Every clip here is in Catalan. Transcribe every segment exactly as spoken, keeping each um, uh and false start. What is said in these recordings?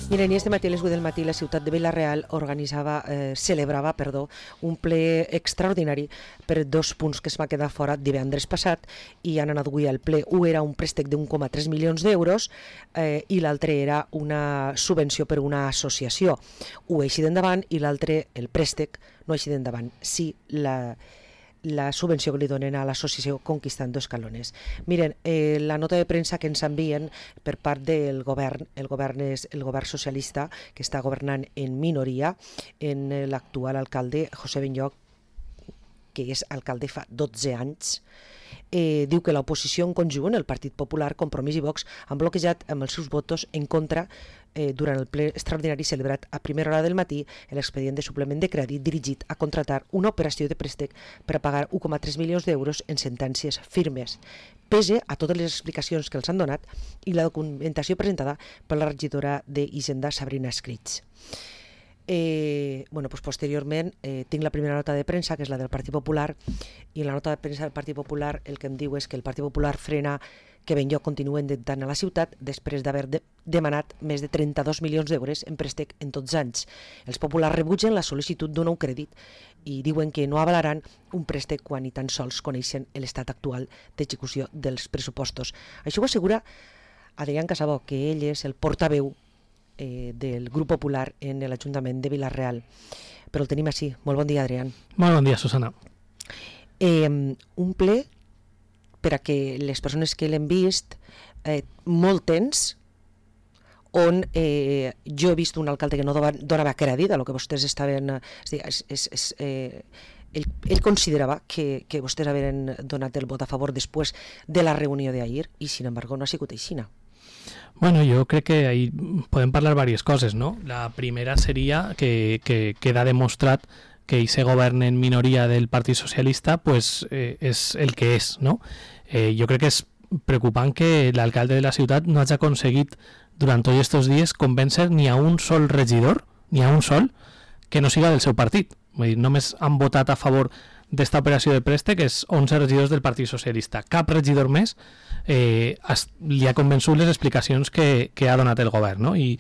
Miren, i este matí a les vuit del matí la ciutat de Vila-real organitzava, eh, celebrava, perdó, un ple extraordinari per dos punts que es va quedar fora divendres passat i han anat avui al ple. Un era un préstec d'un coma tres milions d'euros eh, i l'altre era una subvenció per una associació. Un així d'endavant i l'altre, el préstec, no així d'endavant, sí la... la subvenció que li donen a l'associació Conquistando Escalones. Miren, eh, la nota de premsa que ens envien per part del govern, el govern és el govern socialista que està governant en minoria, en l'actual alcalde José Benlloch, que és alcalde fa dotze anys, eh, diu que l'oposició en conjunt, el Partit Popular, Compromís i Vox, han bloquejat amb els seus votos en contra eh, durant el ple extraordinari celebrat a primera hora del matí l'expedient de suplement de crèdit dirigit a contratar una operació de préstec per a pagar un coma tres milions d'euros en sentències firmes, pese a totes les explicacions que els han donat i la documentació presentada per la regidora d'Hisenda, Sabrina Escritx. Eh, bueno, pues posteriorment eh, tinc la primera nota de premsa, que és la del Partit Popular, i en la nota de premsa del Partit Popular el que em diu és que el Partit Popular frena que Benlloch continuï endeutant a la ciutat després d'haver de demanat més de trenta-dos milions d'euros en préstec en tots anys. Els populars rebutgen la sol·licitud d'un nou crèdit i diuen que no avalaran un préstec quan ni tan sols coneixen l'estat actual d'execució dels pressupostos. Això ho assegura Adrián Casabó, que ell és el portaveu Eh, del grup popular en l'Ajuntament de Vila-real. Però el tenim així. Molt bon dia, Adrián. Molt bon dia, Susana. Eh, un ple per a que les persones que l'hem vist eh, molt tens, on eh, jo he vist un alcalde que no donava crèdit a lo que vostès estaven... És, és, és, és, eh, ell, ell considerava que, que vostès havien donat el vot a favor després de la reunió d'ahir i, sin embargo, no ha sigut així. Bueno, yo creo que ahí pueden hablar varias cosas, ¿no? La primera sería que, que queda demostrado que ese gobierno en minoría del Partido Socialista pues eh, es el que es, ¿no? Eh, yo creo que es preocupante que el alcalde de la ciudad no haya conseguido durante todos estos días convencer ni a un sol regidor, ni a un sol, que no siga del seu partit. Vull dir, només han votat a favor d'esta operació de préstec és onze regidors del Partit Socialista. Cap regidor més eh, has, li ha convençut les explicacions que, que ha donat el govern, no? I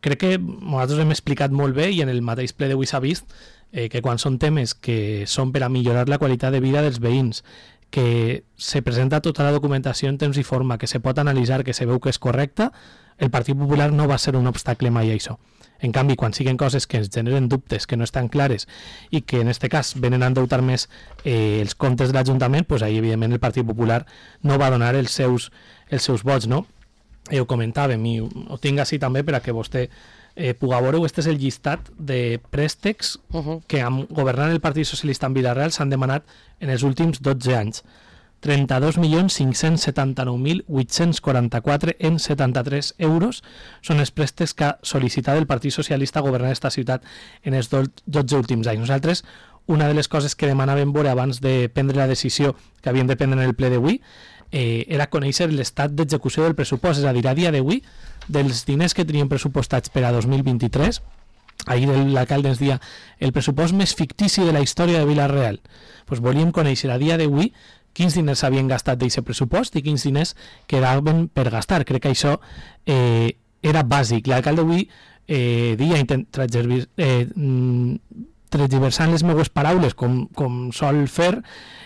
crec que nosaltres hem explicat molt bé i en el mateix ple d'avui s'ha vist eh, que quan són temes que són per a millorar la qualitat de vida dels veïns, que se presenta tota la documentació en temps i forma, que se pot analitzar, que se veu que és correcta, el Partit Popular no va ser un obstacle mai a això. En canvi, quan siguen coses que ens generen dubtes, que no estan clares i que en aquest cas venen a endeutar més eh, els comptes de l'Ajuntament, doncs ahí evidentment el Partit Popular no va donar els seus, els seus vots, no? Eh, ho comentàvem i ho tinc així també per a que vostè eh, pugui veure. Este és el llistat de préstecs uh-huh. que amb governant el Partit Socialista en Vila-real s'han demanat en els últims dotze anys. trenta-dos milions cinc-cents setanta-nou mil vuit-cents quaranta-quatre en setanta-tres euros són els préstecs que ha sol·licitat el Partit Socialista a governar aquesta ciutat en els dotze últims anys. Nosaltres, una de les coses que demanàvem veure abans de prendre la decisió que havíem de prendre en el ple d'avui eh, era conèixer l'estat d'execució del pressupost, és a dir, a dia d'avui, dels diners que tenien pressupostats per a dos mil vint-i-tres, ahir l'alcalde ens dia el pressupost més fictici de la història de Vila-real. Pues volíem conèixer a dia d'avui quins diners s'havien gastat d'aquest pressupost i quins diners quedaven per gastar. Crec que això eh, era bàsic. L'alcalde avui eh, dia eh, transversant les meves paraules com, com sol fer,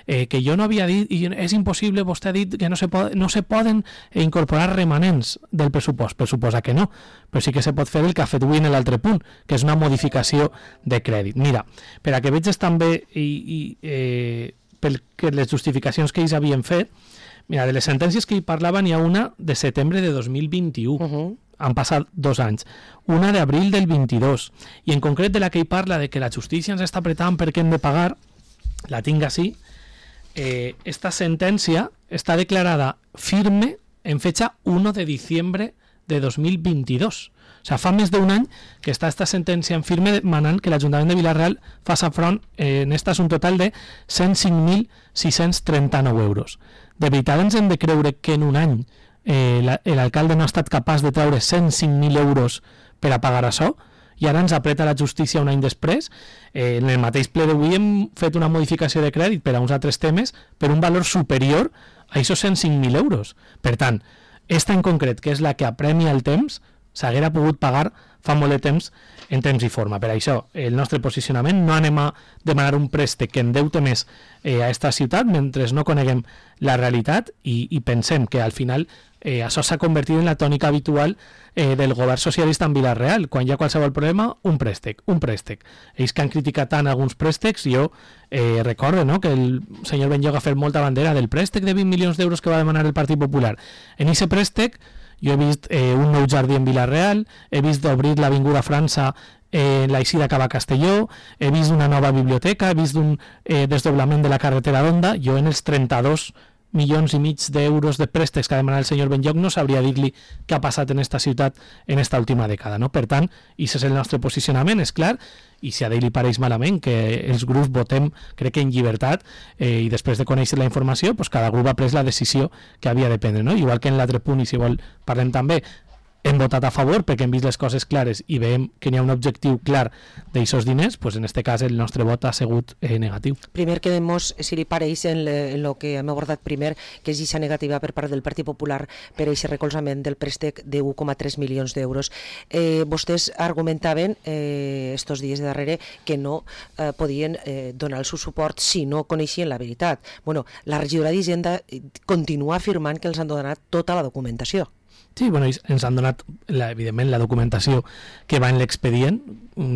eh, que jo no havia dit, i és impossible, vostè ha dit que no se, pod no se poden incorporar remanents del pressupost. Per suposa que no, però sí que se pot fer el que ha fet avui en l'altre punt, que és una modificació de crèdit. Mira, per a que veges també i, i eh, perquè les justificacions que ells havien fet, mira, de les sentències que hi parlaven hi ha una de setembre de dos mil vint-i-u, uh-huh. han passat dos anys, una d'abril del vint-i-dos, i en concret de la que hi parla de que la justícia ens està apretant perquè hem de pagar, la tinc així, eh, esta sentència està declarada firme en fecha uno de diciembre de dos mil vint-i-dos. O sigui, fa més d'un any que està esta sentència en firme demanant que l'Ajuntament de Vila-real faci front eh, en esta un total de cent cinc mil sis-cents trenta-nou euros. De veritat ens hem de creure que en un any eh, l'alcalde no ha estat capaç de treure cent cinc mil euros per a pagar això i ara ens apreta la justícia un any després. Eh, en el mateix ple d'avui hem fet una modificació de crèdit per a uns altres temes per un valor superior a aquests cent cinc mil euros. Per tant, esta en concret, que és la que apremia el temps, s'haguera pogut pagar fa molt de temps en temps i forma. Per això, el nostre posicionament, no anem a demanar un préstec que endeute més eh, a esta ciutat mentre no coneguem la realitat i, i pensem que al final eh, això s'ha convertit en la tònica habitual eh, del govern socialista en Vila-real. Quan hi ha qualsevol problema, un préstec, un préstec. Ells que han criticat tant alguns préstecs, jo eh, recordo, no?, que el senyor Benlloc ha fet molta bandera del préstec de vint milions d'euros que va demanar el Partit Popular. En aquest préstec jo he vist eh, un nou jardí en Vila-real, he vist d'obrir l'Avinguda França en eh, l'Eixida Cava Castelló, he vist una nova biblioteca, he vist un eh, desdoblament de la carretera d'Onda. Jo en els trenta-dos milions i mig d'euros de préstecs que ha demanat el senyor Benlloc no sabria dir-li què ha passat en esta ciutat en esta última dècada, no? Per tant, aquest és el nostre posicionament, és clar, i si a ell li pareix malament que els grups votem, crec que en llibertat, eh, i després de conèixer la informació, pues cada grup ha pres la decisió que havia de prendre, no? Igual que en l'altre punt, i si vol parlem també, hem votat a favor perquè hem vist les coses clares i veiem que n'hi ha un objectiu clar d'aixòs diners, pues en este cas el nostre vot ha sigut eh, negatiu. Primer quedemos, si li pareix, en, le, en lo que hem abordat primer, que és aquesta negativa per part del Partit Popular per aquest recolzament del préstec de un coma tres milions d'euros. Eh, vostès argumentaven eh, estos dies de darrere que no eh, podien eh, donar el seu suport si no coneixien la veritat. Bueno, la regidora d'Hisenda continua afirmant que els han donat tota la documentació. Sí, bueno, ens han donat, la, evidentment, la documentació que va en l'expedient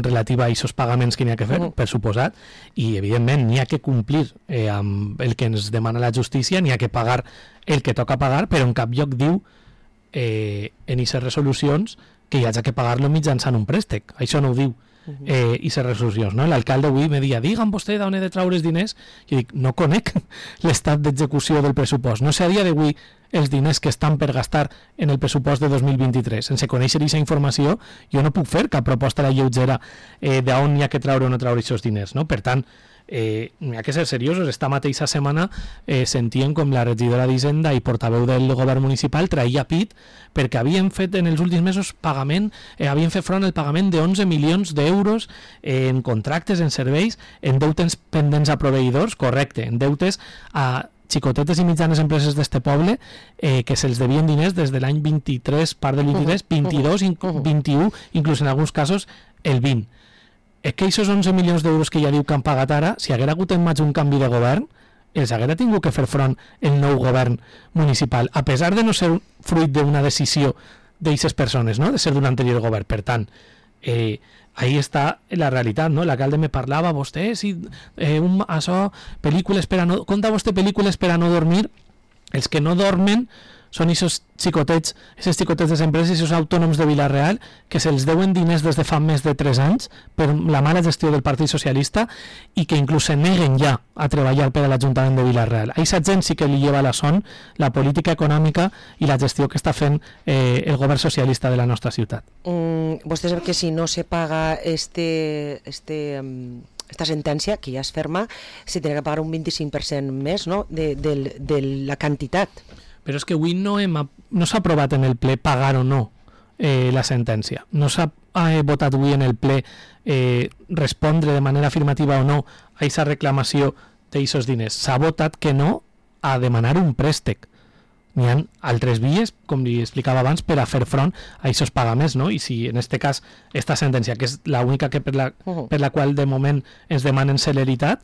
relativa a aquests pagaments que n'hi ha que fer, uh -huh. per suposat, i, evidentment, n'hi ha que complir eh, amb el que ens demana la justícia, n'hi ha que pagar el que toca pagar, però en cap lloc diu eh, en aquestes resolucions que hi hagi que pagar-lo mitjançant un préstec. Això no ho diu. Eh, i les resolucions, no? L'alcalde avui me deia, digue'm vostè d'on he de treure els diners. Jo dic, no conec l'estat d'execució del pressupost, no sé a dia d'avui els diners que estan per gastar en el pressupost de dos mil vint-i-tres. Sense conèixer aquesta informació jo no puc fer cap proposta a la lleugera eh, d'on hi ha que treure o no treure aquests diners, no? Per tant, eh, hi ha que ser seriosos. Esta mateixa setmana eh, sentien com la regidora d'Hisenda i portaveu del govern municipal traïa pit perquè havien fet en els últims mesos pagament, eh, havien fet front al pagament de onze milions d'euros eh, en contractes, en serveis, en deutes pendents a proveïdors, correcte, en deutes a xicotetes i mitjanes empreses d'este poble eh, que se'ls devien diners des de l'any vint-i-tres, part del vint-i-tres, vint-i-dos, vint-i-u, inclús en alguns casos el vint. És que aquests onze milions d'euros que ja diu que han pagat ara, si haguera hagut en maig un canvi de govern, els haguera tingut que fer front el nou govern municipal, a pesar de no ser fruit d'una decisió d'aquestes persones, no?, de ser d'un anterior govern. Per tant, eh, ahí està la realitat, no? L'alcalde me parlava, vostè, si eh, un, això, pel·lícules per a no... Conta vostè pel·lícules per a no dormir. Els que no dormen són aquests xicotets, aquests xicotets de empreses, aquests autònoms de Vila-real, que se'ls deuen diners des de fa més de tres anys per la mala gestió del Partit Socialista i que inclús se neguen ja a treballar per a l'Ajuntament de Vila-real. A aquesta gent sí que li lleva la son la política econòmica i la gestió que està fent eh, el govern socialista de la nostra ciutat. Mm, vostè sap que si no se paga este... este um... esta sentència, que ja és ferma, se tindrà que pagar un vint-i-cinc per cent més, no?, de, de, de la quantitat. Però és que avui no, hem, no s'ha aprovat en el ple pagar o no eh, la sentència. No s'ha eh, votat avui en el ple eh, respondre de manera afirmativa o no a aquesta reclamació d'aquests diners. S'ha votat que no a demanar un préstec. N'hi ha altres vies, com li explicava abans, per a fer front a aquests pagaments, no? I si en aquest cas esta sentència, que és l'única que per la, per la qual de moment ens demanen celeritat,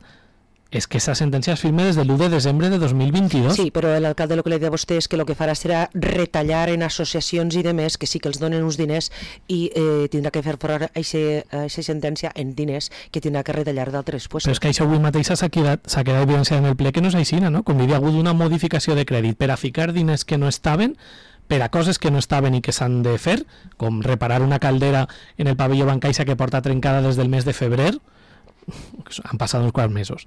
és que aquesta sentència es firma des de l'u de desembre de dos mil vint-i-dos. Sí, però l'alcalde el que li deia a vostè és que el que farà serà retallar en associacions i demés, que sí que els donen uns diners i eh, tindrà que fer front a aquesta sentència en diners que tindrà que retallar d'altres. Pues, però és que això avui mateix s'ha quedat, s'ha quedat evidenciat en el ple que no és així, no? Com hi havia hagut una modificació de crèdit per a ficar diners que no estaven, per a coses que no estaven i que s'han de fer, com reparar una caldera en el pavelló Bancaixa que porta trencada des del mes de febrer, han passat uns quants mesos,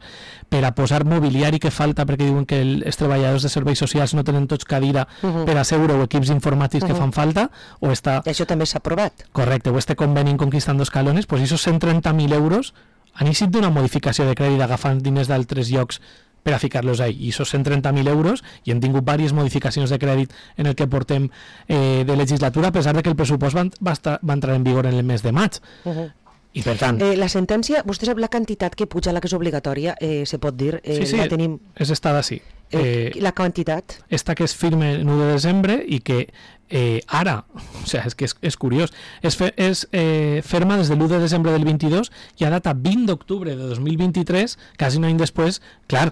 per a posar mobiliari que falta perquè diuen que el, els treballadors de serveis socials no tenen tots cadira uh -huh. per a seure o equips informàtics uh -huh. que fan falta, o està... Això també s'ha aprovat. Correcte, o este conveni Conquistando Escalones, pues esos cent trenta mil euros han eixit d'una modificació de crèdit agafant diners d'altres llocs per a ficar-los ahí, i esos cent trenta mil euros, i hem tingut diverses modificacions de crèdit en el que portem eh, de legislatura, a pesar de que el pressupost va, va, estar, va entrar en vigor en el mes de maig. Uh -huh. I per tant... Eh, la sentència, vostè sap la quantitat que puja, la que és obligatòria, eh, se pot dir? Eh, sí, sí, la tenim... és estada, sí. Eh, eh, la quantitat? Esta que es firme en u de desembre i que Eh, ara, o sea, és que és, és curiós, és, fe, és eh, ferma des de l'u de desembre del vint-i-dos i a data vint d'octubre de dos mil vint-i-tres, quasi un any després, clar,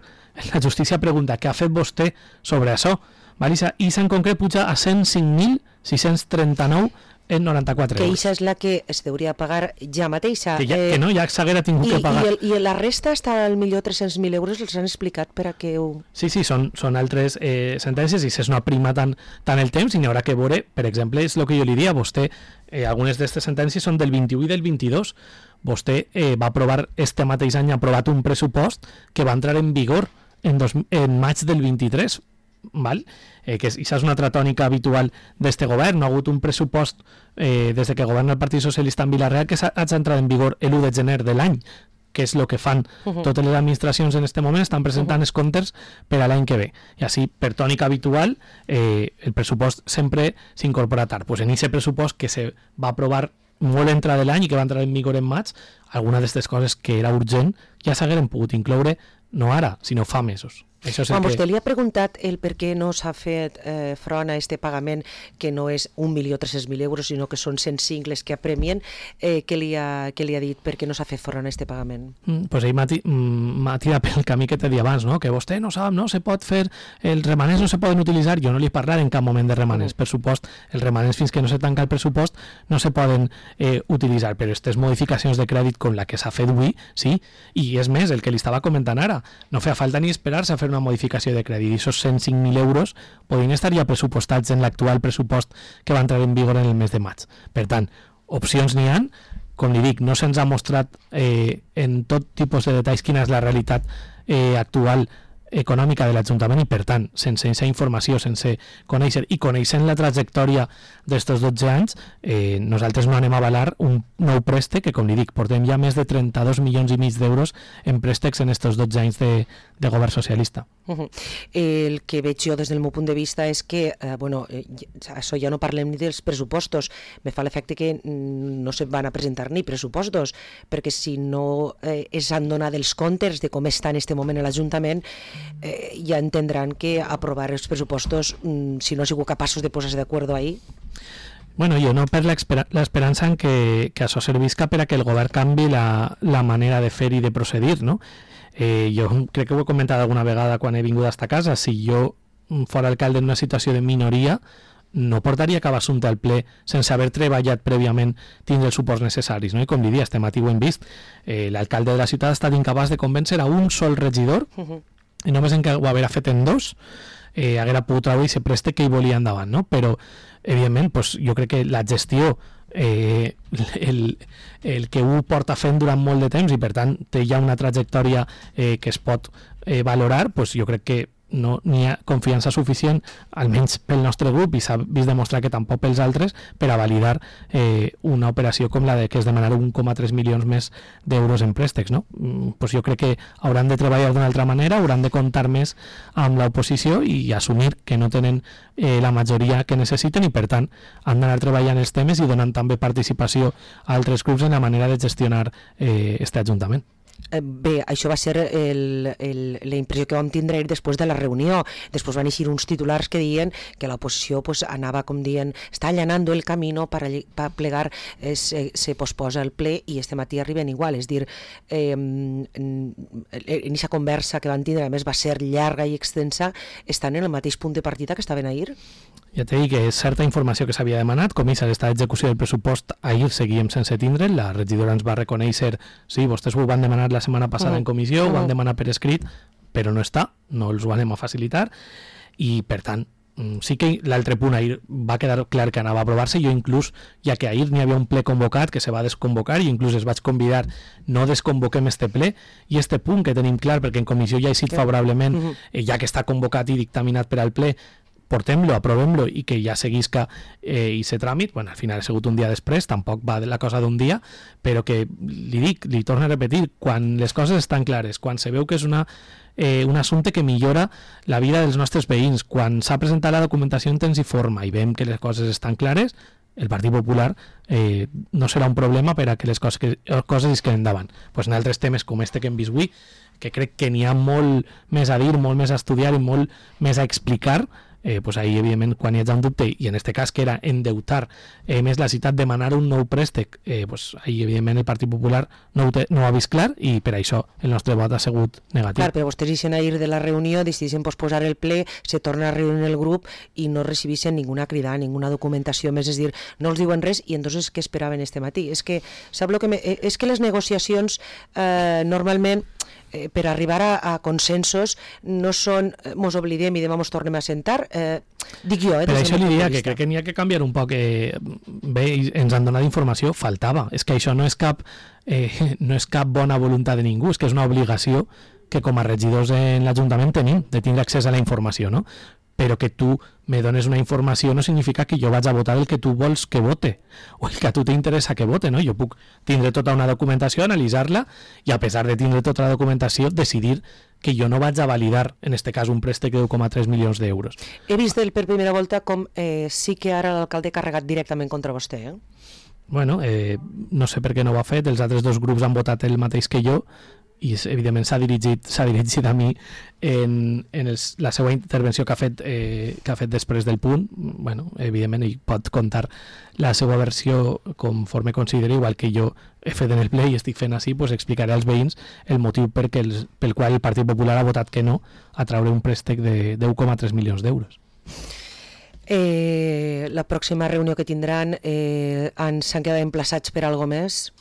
la justícia pregunta què ha fet vostè sobre això, val? I en concret puja a cent cinc mil sis-cents trenta-nou en noranta-quatre que euros. això és la que es hauria pagar ja mateixa. Que, ja, eh, que no, ja s'haguera tingut i, que pagar. I, el, I la resta està al millor tres-cents mil euros, els han explicat per a què ho... Sí, sí, són, són altres eh, sentències i si no aprima tant, tant el temps i n'hi haurà que veure, per exemple, és el que jo li diria, vostè, eh, algunes d'aquestes sentències són del vint-i-u i del vint-i-dos, vostè eh, va aprovar este mateix any, ha aprovat un pressupost que va entrar en vigor en, dos, en maig del vint-i-tres, val? Eh, que això és una altra tònica habitual d'este govern, no ha hagut un pressupost eh, des de que governa el Partit Socialista en Vila-real que ha entrat en vigor l'u de gener de l'any, que és el que fan uh -huh. totes les administracions en aquest moment, estan presentant uh -huh. els comptes per a l'any que ve. I així, per tònica habitual, eh, el pressupost sempre s'incorpora tard. Pues en aquest pressupost que se va aprovar molt entrada de l'any i que va entrar en vigor en maig, alguna d'aquestes coses que era urgent ja s'hagueren pogut incloure no ara, sinó fa mesos. Quan vostè que... li ha preguntat el per què no s'ha fet eh, front a este pagament, que no és un milió tres-cents mil euros, sinó que són cent cinc les que apremien, eh, què, li ha, què li ha dit per què no s'ha fet front a este pagament? Mm, pues ell m'ha mm, tirat pel camí que t'he dit abans, no? Que vostè no sap, no se pot fer, els remanents no se poden utilitzar, jo no li he parlat en cap moment de remanents, uh -huh. per supost, els remanents fins que no se tanca el pressupost no se poden eh, utilitzar, però aquestes modificacions de crèdit com la que s'ha fet avui, sí, i és més, el que li estava comentant ara, no feia falta ni esperar-se a fer una modificació de crèdit, i aquests cent cinc mil euros podrien estar ja pressupostats en l'actual pressupost que va entrar en vigor en el mes de maig. Per tant, opcions n'hi han, com li dic, no se'ns ha mostrat eh, en tot tipus de detalls quina és la realitat eh, actual econòmica de l'Ajuntament i, per tant, sense aquesta informació, sense conèixer i coneixent la trajectòria d'estos dotze anys, eh, nosaltres no anem a avalar un nou préstec que, com li dic, portem ja més de trenta-dos milions i mig d'euros en préstecs en estos dotze anys de, de govern socialista. Uh-huh. El que veig jo des del meu punt de vista és que, eh, bueno, eh, això ja no parlem ni dels pressupostos, me fa l'efecte que no se van a presentar ni pressupostos, perquè si no eh, es han donat els comptes de com està en aquest moment l'Ajuntament, eh, ja entendran que aprovar els pressupostos, mm, si no ha sigut capaços de posar-se d'acord ahí. Bueno, jo no per l'esperança en que, que això servisca per a que el govern canvi la, la manera de fer i de procedir, no? Eh, jo crec que ho he comentat alguna vegada quan he vingut a esta casa, si jo fora alcalde en una situació de minoria no portaria cap assumpte al ple sense haver treballat prèviament tindre els suports necessaris, no? I com li dia, este matí ho hem vist, eh, l'alcalde de la ciutat ha estat incapaç de convèncer a un sol regidor, uh-huh. i només en què ho haguera fet en dos eh, haguera pogut treure i se preste que hi volia endavant, no? Però evidentment pues, jo crec que la gestió eh, el, el que ho porta fent durant molt de temps i per tant té ja una trajectòria eh, que es pot eh, valorar, pues, jo crec que no n'hi ha confiança suficient, almenys pel nostre grup, i s'ha vist demostrar que tampoc pels altres, per a validar eh, una operació com la de que es demanar un coma tres milions més d'euros en préstecs, no? Mm, pues jo crec que hauran de treballar d'una altra manera, hauran de comptar més amb l'oposició i assumir que no tenen eh, la majoria que necessiten i per tant han d'anar treballant els temes i donant també participació a altres grups en la manera de gestionar eh, este Ajuntament. Bé, això va ser el, el, la impressió que vam tindre després de la reunió. Després van eixir uns titulars que diuen que l'oposició pues, anava, com diuen, està allanando el camino para, para plegar, eh, se, se posposa el ple i este matí arriben igual. És dir, eh, en aquesta conversa que van tindre, a més va ser llarga i extensa, estan en el mateix punt de partida que estaven ahir? Ja t'he dit que és certa informació que s'havia demanat, com és aquesta execució del pressupost, ahir seguíem sense tindre, la regidora ens va reconèixer, sí, vostès ho van demanar la setmana passada uh-huh. en comissió, uh-huh. ho van demanar per escrit, però no està, no els ho anem a facilitar, i per tant, sí que l'altre punt ahir va quedar clar que anava a aprovar-se, jo inclús, ja que ahir n'hi havia un ple convocat que se va desconvocar i inclús es vaig convidar, no desconvoquem este ple, i este punt que tenim clar, perquè en comissió ja ha sigut favorablement, uh-huh. eh, ja que està convocat i dictaminat per al ple, portem-lo, aprovem-lo i que ja seguisca eh, i se tràmit, bueno, al final ha sigut un dia després, tampoc va de la cosa d'un dia, però que li dic, li torno a repetir, quan les coses estan clares, quan se veu que és una, eh, un assumpte que millora la vida dels nostres veïns, quan s'ha presentat la documentació en temps i forma i veiem que les coses estan clares, el Partit Popular eh, no serà un problema per a que les coses, que, les coses es queden endavant. Pues en altres temes com este que hem vist avui, que crec que n'hi ha molt més a dir, molt més a estudiar i molt més a explicar, eh, pues ahí, evidentment, quan hi ha un dubte, i en aquest cas que era endeutar eh, més la ciutat, demanar un nou préstec, eh, pues ahí, evidentment, el Partit Popular no ho, té, no ho ha vist clar, i per això el nostre vot ha sigut negatiu. Clar, però vostès ixen a ir de la reunió, decideixen posposar el ple, se torna a reunir el grup i no recibeixen ninguna crida, ninguna documentació més, és dir, no els diuen res, i entonces què esperaven este matí? És que, sap lo que me, és que les negociacions eh, normalment eh, per arribar a, a consensos no són, eh, mos oblidem i demà mos tornem a sentar, eh, dic jo, eh, per això li diria que crec que n'hi ha que canviar un poc, eh, bé, ens han donat informació, faltava, és que això no és cap eh, no és cap bona voluntat de ningú, és que és una obligació que com a regidors en l'Ajuntament tenim, de tindre accés a la informació, no? Però que tu me dones una informació no significa que jo vaig a votar el que tu vols que vote, o el que a tu t'interessa que vote, no? Jo puc tindre tota una documentació, analitzar-la, i a pesar de tindre tota la documentació, decidir que jo no vaig a validar, en este cas, un préstec de un coma tres milions d'euros. He vist per primera volta com eh, sí que ara l'alcalde ha carregat directament contra vostè, eh? Bueno, eh, no sé per què no ho ha fet, els altres dos grups han votat el mateix que jo, i evidentment s'ha dirigit, s'ha dirigit a mi en, en els, la seva intervenció que ha fet eh, que ha fet després del punt. Bueno, evidentment ell pot contar la seva versió conforme consideri, igual que jo he fet en el ple i estic fent així, pues explicaré als veïns el motiu perquè els, pel qual el Partit Popular ha votat que no a treure un préstec de, de un coma tres milions d'euros. Eh, la pròxima reunió que tindran eh, s'han quedat emplaçats per alguna més?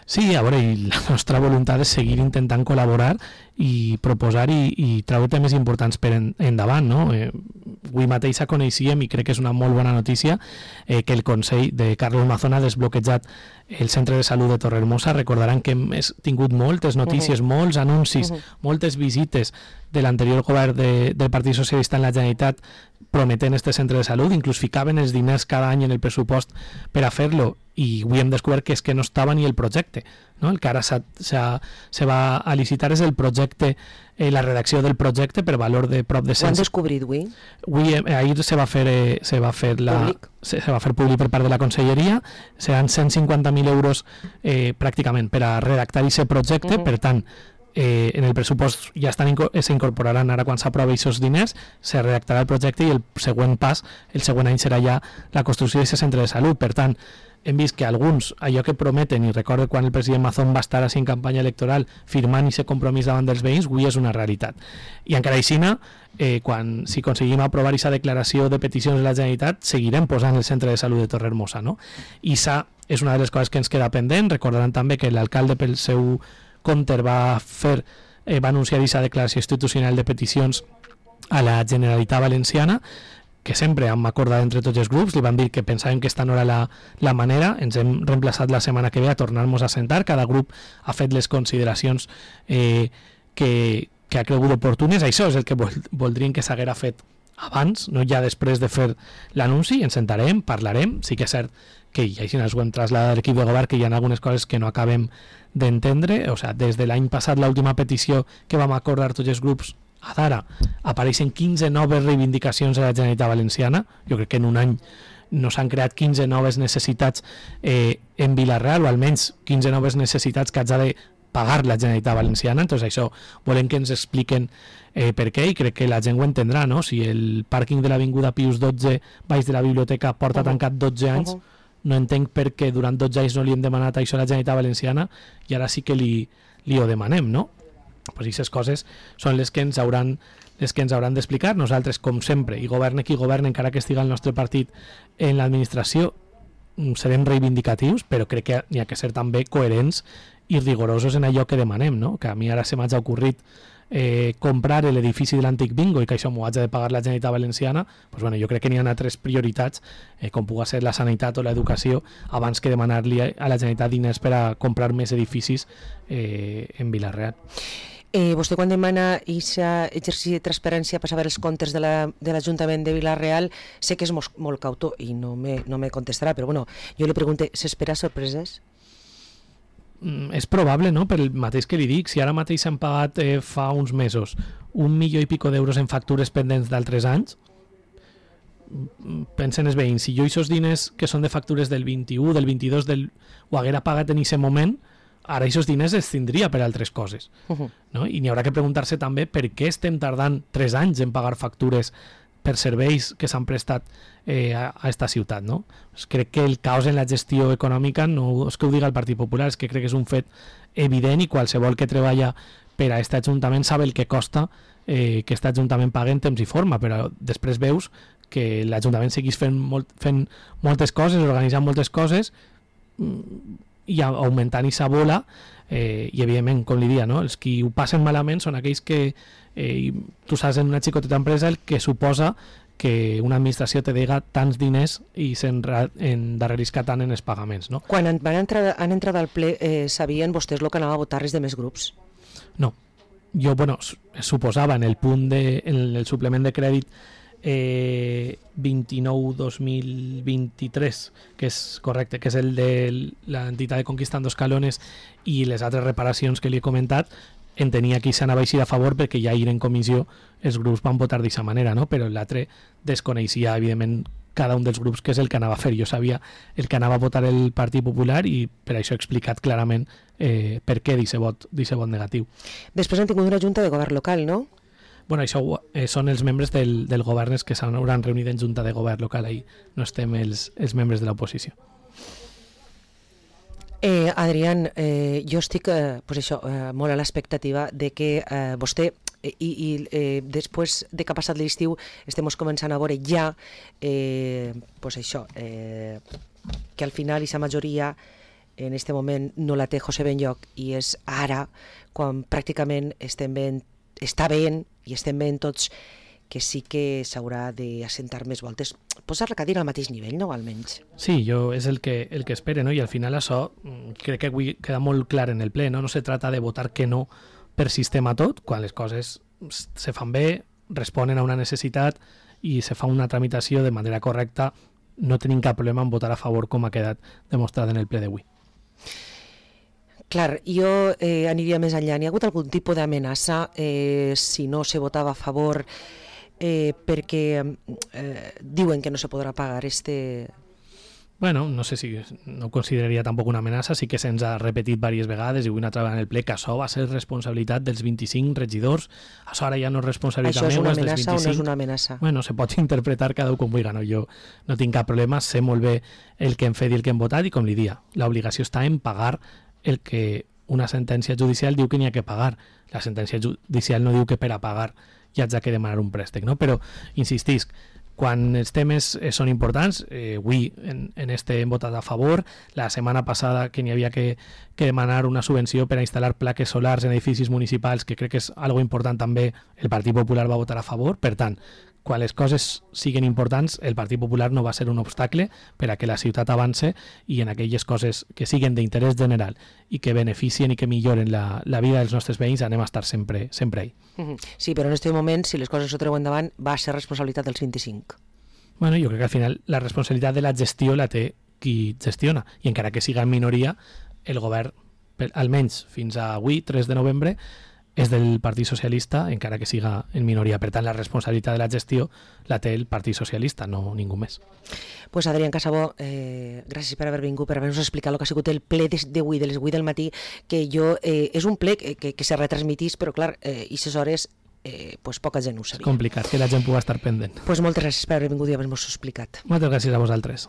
Sí, a veure, la nostra voluntat és seguir intentant col·laborar i proposar i, i treure temes importants per en, endavant, no? Eh, avui mateix coneixíem, i crec que és una molt bona notícia, eh, que el Consell de Carlos Mazón ha desbloquejat el centre de salut de Torrehermosa. Recordaran que hem tingut moltes notícies, uh-huh. molts anuncis, uh-huh. moltes visites de l'anterior govern de, del Partit Socialista en la Generalitat prometent este centre de salut, inclús ficaven els diners cada any en el pressupost per a fer-lo, i avui hem descobert que és que no estava ni el projecte, no? El que ara s'ha, s'ha, se va a licitar és el projecte, eh, la redacció del projecte per valor de prop de cent... Ho han descobrit avui? Avui, eh, ahir se va fer, eh, se va fer la, públic. Se, se va fer públic per part de la Conselleria, seran cent cinquanta mil euros eh, pràcticament per a redactar aquest projecte, uh-huh. per tant, Eh, en el pressupost ja estan s'incorporaran ara quan s'aprova aquests diners, se redactarà el projecte i el següent pas, el següent any serà ja la construcció d'aquest centre de salut. Per tant, hem vist que alguns, allò que prometen, i recordo quan el president Mazón va estar així en campanya electoral firmant aquest compromís davant dels veïns, avui és una realitat. I encara així, eh, quan, si aconseguim aprovar aquesta declaració de peticions de la Generalitat, seguirem posant el centre de salut de Torrehermosa, no? I això és una de les coses que ens queda pendent. Recordaran també que l'alcalde pel seu compte va fer, eh, va anunciar aquesta declaració institucional de peticions a la Generalitat Valenciana, que sempre hem acordat entre tots els grups, li van dir que pensàvem que esta no era la, la manera, ens hem reemplaçat la setmana que ve a tornar-nos a sentar, cada grup ha fet les consideracions eh, que, que ha cregut oportunes. Això és el que vol, voldrien que s'haguera fet abans, no ja després de fer l'anunci. Ens sentarem, parlarem, sí que és cert que i així ens ho hem traslladat a l'equip de govern, que hi ha algunes coses que no acabem d'entendre. O sigui, des de l'any passat, l'última petició que vam acordar tots els grups, a d'ara apareixen quinze noves reivindicacions a la Generalitat Valenciana. Jo crec que en un any no s'han creat quinze noves necessitats eh, en Vila-real, o almenys quinze noves necessitats que haig de pagar la Generalitat Valenciana. Entonces això volem que ens expliquen eh, per què, i crec que la gent ho entendrà, no? Si el pàrquing de l'Avinguda Pius dotze baix de la biblioteca porta uh-huh. tancat dotze anys, uh-huh. no entenc per què durant dotze anys no li hem demanat això a la Generalitat Valenciana i ara sí que li, li ho demanem, no? Pues aquestes coses són les que ens hauran les que ens hauran d'explicar. Nosaltres, com sempre, i governe qui governe, encara que estigui el nostre partit en l'administració, serem reivindicatius, però crec que n'hi ha que ser també coherents i rigorosos en allò que demanem, no? Que a mi ara se m'ha ocorrit eh, comprar l'edifici de l'antic bingo i que això m'ho haig de pagar la Generalitat Valenciana. Pues bueno, jo crec que n'hi ha altres prioritats, eh, com pugui ser la sanitat o l'educació, abans que demanar-li a la Generalitat diners per a comprar més edificis eh, en Vila-real. Eh, vostè quan demana aquest exercici de transparència per saber els comptes de l'Ajuntament la, de Vila-real, sé que és molt, molt cautor i no me, no me contestarà, però bueno, jo li pregunto, s'espera sorpreses? Mm, és probable, no? Per el mateix que li dic, si ara mateix s'han pagat eh, fa uns mesos un milió i pico d'euros en factures pendents d'altres anys, pensen els veïns, si jo aquests diners que són de factures del vint-i-u, del vint-i-dos, del... ho haguera pagat en aquest moment, ara aquests diners es tindria per altres coses. Uh-huh. No? I n'hi haurà que preguntar-se també per què estem tardant tres anys en pagar factures per serveis que s'han prestat eh, a, a esta ciutat, no? Pues crec que el caos en la gestió econòmica no és que ho diga el Partit Popular, és que crec que és un fet evident i qualsevol que treballa per a aquest ajuntament sabe el que costa eh, que aquest ajuntament pagui en temps i forma, però després veus que l'Ajuntament seguís fent, molt, fent moltes coses, organitzant moltes coses i augmentant aquesta bola eh, i evidentment, com li dia, no? Els qui ho passen malament són aquells que eh, tu saps en una xicoteta empresa el que suposa que una administració te dega tants diners i s'endarrerisca tant en els pagaments, no? Quan van entrar, han entrat al ple eh, sabien vostès el que anava a votar res de més grups? No, jo, bueno, suposava en el punt de, en el suplement de crèdit Eh, vint-i-nou dos mil vint-i-tres, que és correcte, que és el de l'entitat de Conquistando Escalones i les altres reparacions que li he comentat, entenia que s'anava a eixir a favor perquè ja ir en comissió els grups van votar d'aquesta manera, no? Però l'altre desconeixia evidentment cada un dels grups que és el que anava a fer. Jo sabia el que anava a votar el Partit Popular i per això he explicat clarament eh, per què d'aquest vot, d'aquest vot negatiu. Després han tingut una junta de govern local, no? Bueno, això eh, són els membres del, del govern que s'hauran reunit en junta de govern local, ahí no estem els, els membres de l'oposició. Eh, Adrián, eh, jo estic eh, pues això, eh, molt a l'expectativa de que eh, vostè eh, i, i eh, després de que ha passat l'estiu estem començant a veure ja eh, pues això, eh, que al final aquesta majoria en aquest moment no la té José Benlloch i és ara quan pràcticament estem veient està veient i estem veient tots que sí que s'haurà d'assentar més voltes, posar la cadira al mateix nivell, no? Almenys. Sí, jo és el que, el que espere, no? I al final això crec que avui queda molt clar en el ple, no? No se trata de votar que no per sistema tot, quan les coses se fan bé, responen a una necessitat i se fa una tramitació de manera correcta, no tenim cap problema en votar a favor com ha quedat demostrat en el ple d'avui. Clar, jo eh, aniria més enllà. N'hi ha hagut algun tipus d'amenaça eh, si no se votava a favor eh, perquè eh, diuen que no se podrà pagar este... Bueno, no sé si no ho consideraria tampoc una amenaça, sí que se'ns ha repetit diverses vegades i avui una altra vegada en el ple que això va ser responsabilitat dels vint-i-cinc regidors, això ara ja no és responsabilitat meva. Això és una amenaça o no és una amenaça? Bueno, se pot interpretar cada un com vulgui, no? Jo no tinc cap problema, sé molt bé el que hem fet i el que hem votat i com li dia, l'obligació està en pagar el que una sentència judicial diu que n'hi ha que pagar. La sentència judicial no diu que per a pagar ja haig de demanar un préstec, no? Però, insistisc, quan els temes eh, són importants, eh, avui en, en este hem votat a favor, la setmana passada que n'hi havia que, que demanar una subvenció per a instal·lar plaques solars en edificis municipals, que crec que és algo important també, el Partit Popular va votar a favor, per tant, quan les coses siguin importants, el Partit Popular no va ser un obstacle per a que la ciutat avance i en aquelles coses que siguin d'interès general i que beneficien i que milloren la, la vida dels nostres veïns anem a estar sempre, sempre ahí. Sí, però en aquest moment, si les coses s'ho treuen endavant, va ser responsabilitat dels vint-i-cinc. Bueno, jo crec que al final la responsabilitat de la gestió la té qui gestiona i encara que siga en minoria, el govern, almenys fins a avui, tres de novembre, és del Partit Socialista, encara que siga en minoria. Per tant, la responsabilitat de la gestió la té el Partit Socialista, no ningú més. Pues Adrián Casabó, eh, gràcies per haver vingut, per haver-nos explicat el que ha sigut el ple d'avui, de les vuit del matí, que jo, eh, és un ple que, que, que se retransmitís, però clar, eh, i ses hores eh, pues poca gent ho sabia. És complicat, que la gent pugui estar pendent. Pues moltes gràcies per haver vingut i haver-nos explicat. Moltes gràcies a vosaltres.